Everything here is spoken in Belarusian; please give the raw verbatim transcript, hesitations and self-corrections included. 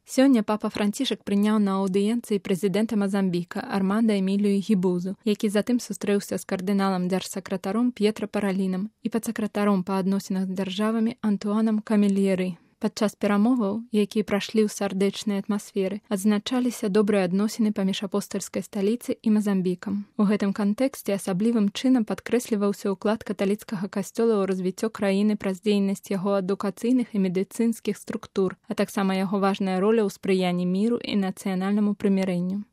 Сёння папа Францішак прыняў на аўдыенцыі прэзідэнта Мазамбіка Арманда Эмілію Гібузу, які затым сустрэўся з кардыналам дзяржсакратаром П'етра Паралінам і падсакратаром па адносінах з дзяржавамі Антуанам Камельеры. Падчас перамоваў, якія прашлі ў сардэчнай атмасферы, адзначаліся добрыя адносіны паміж апостальскай сталіцай і Мазамбікам. У гэтым кантэксце асаблівым чынам падкрэсліваўся ўклад каталіцкага касцёла ў развіццё краіны праз дзейнасць яго адукацыйных і медыцынскіх структур, а таксама яго важная роля ў спрыянні міру і нацыянальнаму прымірэнню.